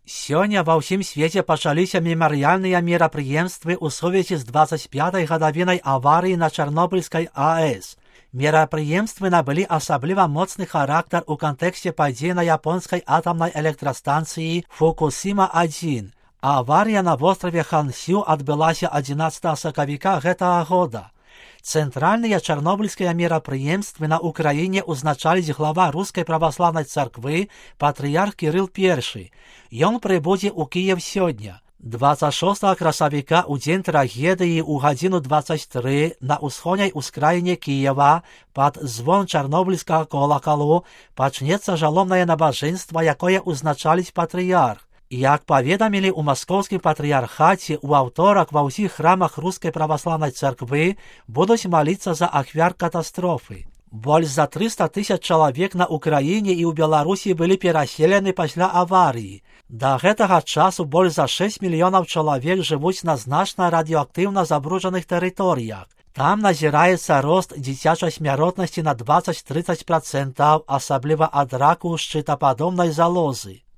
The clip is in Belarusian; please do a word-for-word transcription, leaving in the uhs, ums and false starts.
Сёння ва ўсім свеце пачаліся мемарыяльныя мерапрыемствы ў сувязі з дваццаць пятай гадавінай аварыі на Чарнобыльскай АЭС. Мерапрыемствы набылі асабліва моцны характар у кантэксце падзей на японскай атамнай электрастанцыі Фукусіма адзін. Аварыя на востраве Хансю адбылася адзінаццатага сакавіка гэтага года. Цэнтральныя чарнобыльскія мерапрыемствы на Украіне ўзначаліць глава рускай праваслаўнай царквы патрыярх Кірыл першы. Ён прыбудзе ў Кіев сёння. дваццаць шостага красавіка ў дзень трагедыі ў гадзіну дваццаць тры на ўсходняй ускраіне Кіева пад звон чарнобыльскага колакалу пачнецца жаломнае набажэнства, якое ўзначаліць патрыярх. Як паведамілі ў маскоўскім патрыярхаце, у аўторак ва ўсіх храмах рускай праваслаўнай царквы будуць маліцца за ахвяр катастрофы. Больш за трыста тысяч чалавек на Украіне і ў Беларусі былі пераселены пасля аварыі. Да гэтага часу больш за шэсць мільёнаў чалавек жывуць на значна радыеактыўна забруджаных тэрыторыях. Там назіраецца рост дзіцячай смяротнасці на дваццаць-трыццаць працэнтаў, асабліва ад раку шчытападобнай залозы.